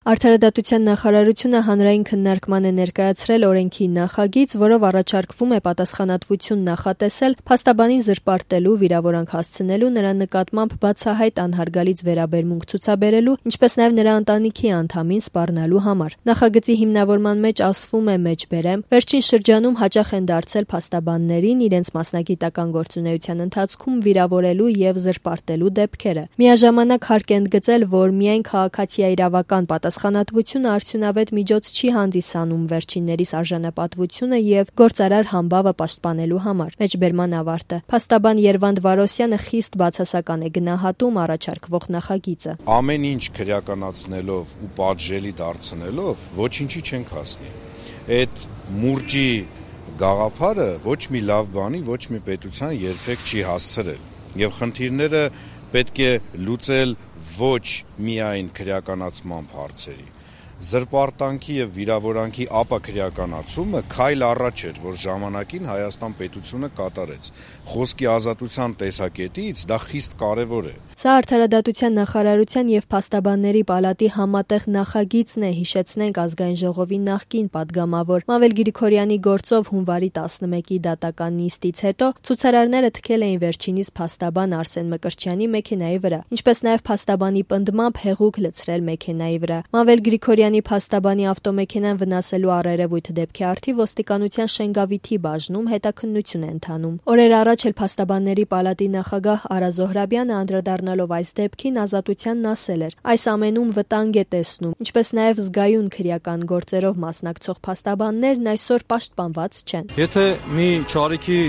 Արդարադատության նախարարությունը հանրային քննարկման է ներկայացրել օրենքի նախագիծ, որով առաջարկվում է պատասխանատվություն նախատեսել փաստաբանին զրպարտելու, վիրավորանք հասցնելու, նրա նկատմամբ բացահայտ անհարգալից վերաբերմունք ցուցաբերելու, ինչպես նաև նրա ընտանիքի անդամին սպառնալու համար։ Նախագծի հիմնավորման մեջ ասվում է մեջբերեմ. վերջին շրջանում հաճախ են դարձել փաստաբաններին իրենց մասնագիտական գործունեության ընթացքում վիրավորելու եւ զրպարտելու դեպքերը։ Միաժամանակ հարկ է ընդգծել, որ միայն քաղաքացիաիրավական պատասխանատվությունը արդյունավետ միջոց չի հանդիսանում վերջիններիս արժանապատվությունը եւ գործարար համբավը պաշտպանելու համար։ Մեջբերման ավարտը։ Փաստաբան Երվանդ Վարոսյանը խիստ բացասական է գնահատում առաջարկվող նախագիծը։ Ամեն ինչ քրեականացնելով ու պատժելի դարձնելով ոչինչի չենք հասնի։ Այդ մուրճի գաղափարը ոչ մի լավ բանի, ոչ մի պետության երբեք չի հասցրել։ Եվ խնդիրները պետք է լուծել ոչ միայն քրեականացման հարցերի, զրպարտանքի եւ վիրավորանքի ապաքրեականացումը քայլ առաջ էր, որ ժամանակին Հայաստան պետությունը կատարեց։ Խոսքի ազատության տեսակետից դա խիստ կարևոր է։ Սա արդարադատության նախարարության եւ փաստաբանների պալատի համատեղ նախագիծն է, հիշեցնենք Ազգային ժողովի նախկին падգամավոր Մավել Գրիգորյանի գործով հունվարի 11-ի դատական նիստից հետո ցուցարարները թքել էին վերջինիս փաստաբան Արսեն Մկրտչյանի մեքենայի վրա, ինչպես նաև փաստաբանի պնդմամբ հեղուկ լցրել մեքենայի վրա։ Մավել Գրիգորյանի փաստաբանի ավտոմեքենան վնասելու առերևույթ դեպքի առթիվ ոստիկանության Շենգավիթի բաժնում հետաքննություն է ընթանում։ Օրեր առաջ էլ փաստաբանների պալատի նախագահ Արա Զոհրաբյանը անդրադառնալով այս դեպքին ազատությանն ասել էր. այս ամենում վտանգ է տեսնում, ինչպես նաև զգայուն քրեական գործերով մասնակցող փաստաբաններն այսօր պաշտպանված չեն։ Եթե մի չարիքի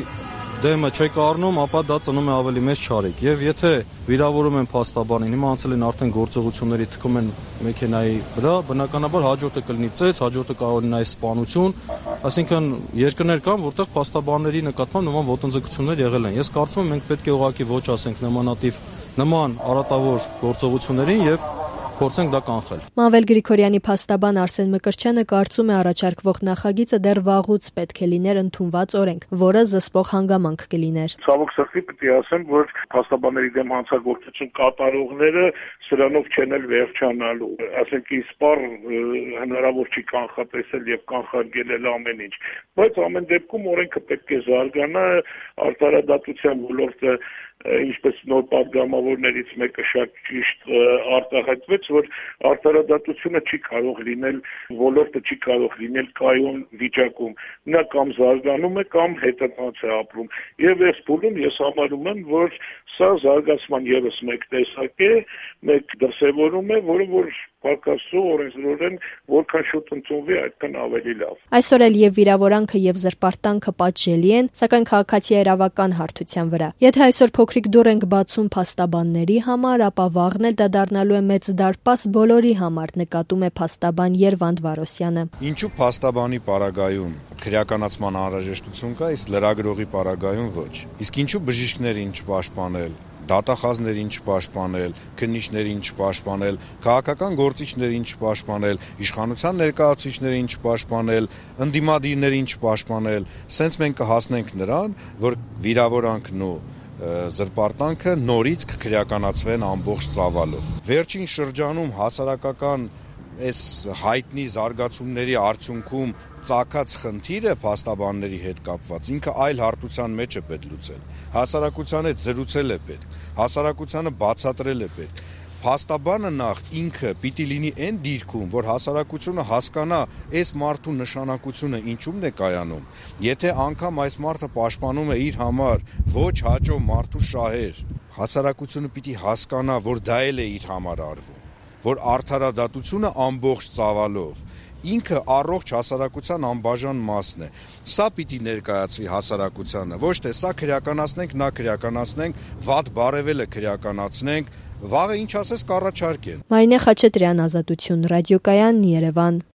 դեմը չեք առնում, ապա դա ծնում է ավելի մեծ չարիք։ Եվ եթե վիրավորում են փաստաբանին, հիմա անցել են արդեն գործողությունների, թքում են մեքենայի վրա, բնականաբար հաջորդը կլինի ծեծ, հաջորդը կարող է նաև սպանություն, այսինքն երկրներ կան, որտեղ փաստաբանների նկատմամբ նման ոտնձգություններ եղել են։ Ես կարծում եմ մենք պետք է ուղղակի ոչ ասենք նման արատավոր գործողություններին եւ փորձենք դա կանխել։ Մավել Գրիգորյանի փաստաբան Արսեն Մկրտչյանը կարծում է առաջարկվող նախագիծը դեռ վաղուց պետք է լիներ ընդունված օրենք, որը զսպող հանգամանք կլիներ։ Ցավոք սրտի պետք է ասեմ, որ փաստաբանների դեմ հանցագործություն կատարողները սրանով չեն էլ վերջանալու։ Ասենք իսպառ հնարավոր չի կանխատեսել եւ կանխարգելել ամեն ինչ, բայց ամեն դեպքում օրենքը պետք է զարգանա, արդարադատության ոլորտը ինչպես նոր падգամավորներից մեկը շատ ճիշտ արտահայտվեց, որ արդարադատությունը չի կարող լինել, ոլորտը չի կարող լինել կայուն վիճակում։ Նա կամ զարգանում է, կամ հետընթաց է ապրում։ Եվ այս փուլում ես համարում եմ, որ սա զարգացման եւս մեկ տեսակ է, մեկ դրսևորում է, որը Պարկասու օրենսդրորեն որքան շուտ ընդունվի, այդքան ավելի լավ։ Այսօր էլ եւ վիրավորանքը եւ զրպարտանքը պատժելի են, սակայն քաղաքացիաիրավական հարթության վրա։ Եթե այսօր փոքրիկ դուռ ենք բացում փաստաբանների համար, ապա վաղն էլ դա դառնալու է մեծ դարպաս բոլորի համար, նկատում է փաստաբան Երվանդ Վարոսյանը։ Ինչու փաստաբանի պարագայում քրեականացման անհրաժեշտություն կա, իսկ լրագրողի պարագայում ոչ։ Իսկ ինչու բժիշկներին չպաշտպանել, դատախազներին չպաշտպանել, քննիչներին չպաշտպանել, քաղաքական գործիչներին չպաշտպանել, իշխանության ներկայացուցիչներին չպաշտպանել, ընդդիմադիրներին չպաշտպանել, սենց մենք կհասնենք նրան, որ վիրավորանքն ու զրպարտանքը նորից կքրեականացվեն ամբողջ ծավալով։ Վերջին շրջանում հասարակական այս հայտնի զարգացումների արդյունքում ծագած խնդիրը փաստաբանների հետ կապված ինքը այլ հարթության մեջ է պետք լուծել։ Հասարակության հետ զրուցել է պետք, հասարակությանը բացատրել է պետք։ Փաստաբանը նախ ինքը պիտի լինի այն դիրքում, որ հասարակությունը հասկանա այս մարդու նշանակությունը ինչումն է կայանում։ Եթե անգամ այս մարդը պաշտպանում է իր համար ոչ հաճո մարդու շահեր, հասարակությունը պիտի հասկանա, որ դա էլ է իր համար արվում, որ արդարադատությունը ամբողջ ծավալով ինքը առողջ հասարակության անբաժան մասն է։ Սա պիտի ներկայացվի հասարակությանը, ոչ թե սա քրեականացնենք, նա քրեականացնենք, վատ բարևելը քրեականացնենք, վաղը ինչ ասես կառաջարկեն։ Մարինե Խաչատրյան, Ազատություն, ռադիոկայան, Երևան։